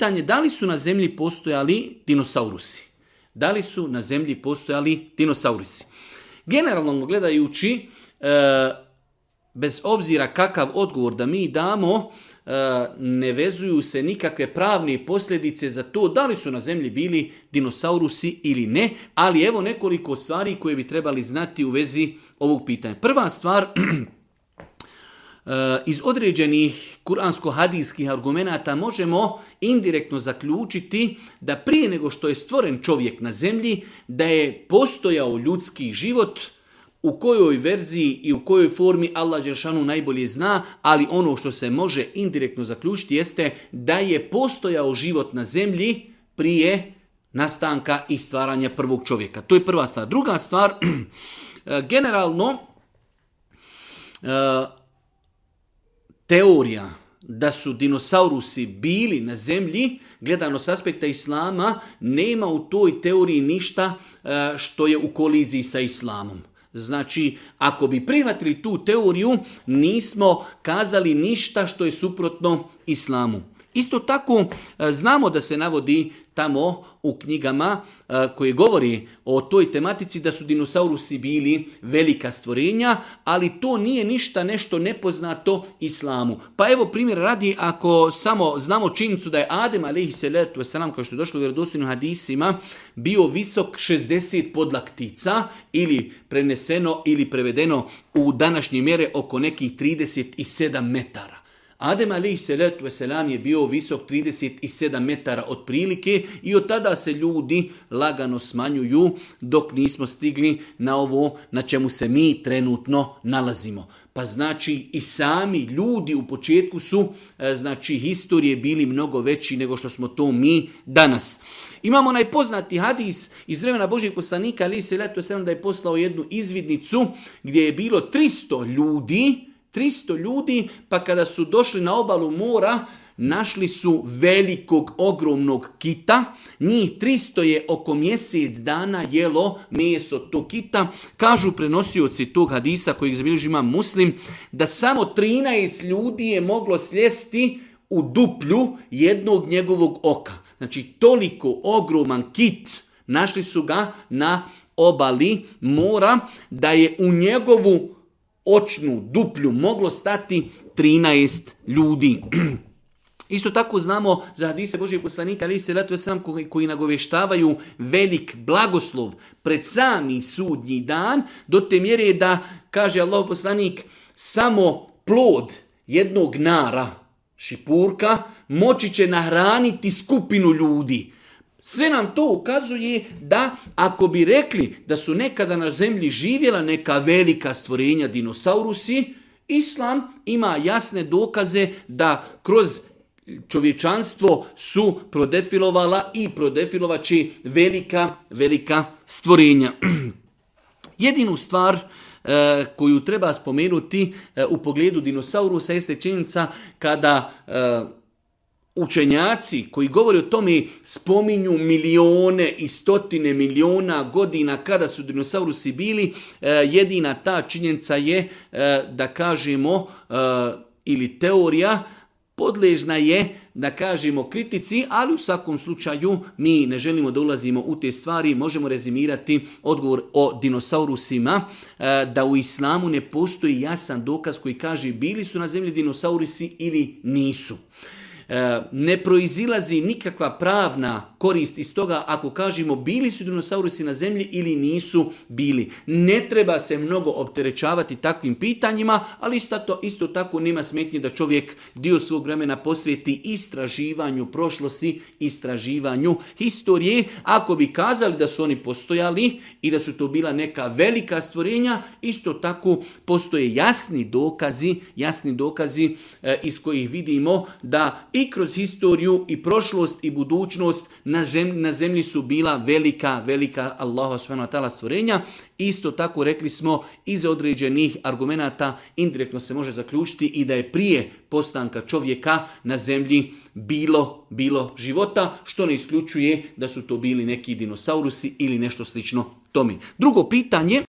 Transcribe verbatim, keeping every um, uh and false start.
pitanje da li su na zemlji postojali dinosaurusi. Da li su na zemlji postojali dinosaurusi? Generalno gledajući, bez obzira kakav odgovor da mi damo, ne vezuju se nikakve pravne posljedice za to da li su na zemlji bili dinosaurusi ili ne, ali evo nekoliko stvari koje bi trebali znati u vezi ovog pitanja. Prva stvar, iz određenih kuransko-hadijskih argumenata možemo indirektno zaključiti da prije nego što je stvoren čovjek na zemlji, da je postojao ljudski život. U kojoj verziji i u kojoj formi Allah dželešanu najbolje zna, ali ono što se može indirektno zaključiti jeste da je postojao život na zemlji prije nastanka i stvaranja prvog čovjeka. To je prva stvar. Druga stvar, generalno teorija da su dinosaurusi bili na zemlji, gledano s aspekta islama, nema u toj teoriji ništa što je u koliziji sa islamom. Znači, ako bi prihvatili tu teoriju, nismo kazali ništa što je suprotno islamu. Isto tako, znamo da se navodi tamo u knjigama koje govori o toj tematici da su dinosaurusi bili velika stvorenja, ali to nije ništa nešto nepoznato islamu. Pa evo primjer radi, ako samo znamo činjenicu da je Adem alejhiselatu vesselam, kao što je došlo u vjerodostojnim hadisima, bio visok šezdeset podlaktica, ili preneseno ili prevedeno u današnje mjere oko nekih trideset sedam metara. Adem alejhiselatu vesselam je bio visok trideset sedam metara otprilike i od tada se ljudi lagano smanjuju dok nismo stigli na ovo na čemu se mi trenutno nalazimo. Pa znači i sami ljudi u početku su, znači historije bili mnogo veći nego što smo to mi danas. Imamo najpoznati hadis iz vremena Božjeg poslanika alejhiselatu vesselam da je poslao jednu izvidnicu gdje je bilo tristo ljudi, tristo ljudi, pa kada su došli na obalu mora, našli su velikog, ogromnog kita. Njih tristo je oko mjesec dana jelo meso tog kita. Kažu prenosioci tog hadisa kojeg zabilježi Imam Muslim, da samo trinaest ljudi je moglo sjesti u duplju jednog njegovog oka. Znači toliko ogroman kit, našli su ga na obali mora, da je u njegovu očnu duplju moglo stati trinaest ljudi. Isto tako znamo za hadise Božjeg poslanika alejhiselatu vesselam koji, koji nagovještavaju velik blagoslov pred sami sudnji dan, do te mjere da, kaže Allahov poslanik, samo plod jednog nara, šipurka, moći će nahraniti skupinu ljudi. Sve nam to ukazuje da ako bi rekli da su nekada na zemlji živjela neka velika stvorenja dinosaurusi, islam ima jasne dokaze da kroz čovječanstvo su prodefilovala i prodefilovaće velika, velika stvorenja. Jedinu stvar e, koju treba spomenuti e, u pogledu dinosaurusa jeste činjenica kada e, učenjaci koji govore o tome spominju milijone i stotine miliona godina kada su dinosaurusi bili, jedina ta činjenica je da kažemo, ili teorija, podležna je da kažemo kritici, ali u svakom slučaju mi ne želimo da ulazimo u te stvari. Možemo rezimirati odgovor o dinosaurusima, da u islamu ne postoji jasan dokaz koji kaže bili su na zemlji dinosaurusi ili nisu. Ne proizilazi nikakva pravna korist iz toga ako kažemo bili su dinosaurusi na zemlji ili nisu bili. Ne treba se mnogo opterećavati takvim pitanjima, ali isto, isto tako nema smetnje da čovjek dio svog vremena posveti istraživanju prošlosti, istraživanju historije. Ako bi kazali da su oni postojali i da su to bila neka velika stvorenja, isto tako postoje jasni dokazi, jasni dokazi e, iz kojih vidimo da i kroz historiju i prošlost i budućnost na zemlji, na zemlji su bila velika, velika Allahova subhanahu wa ta'ala stvorenja. Isto tako rekli smo iz određenih argumenata indirektno se može zaključiti i da je prije postanka čovjeka na zemlji bilo, bilo života, što ne isključuje da su to bili neki dinosaurusi ili nešto slično tome. Drugo pitanje,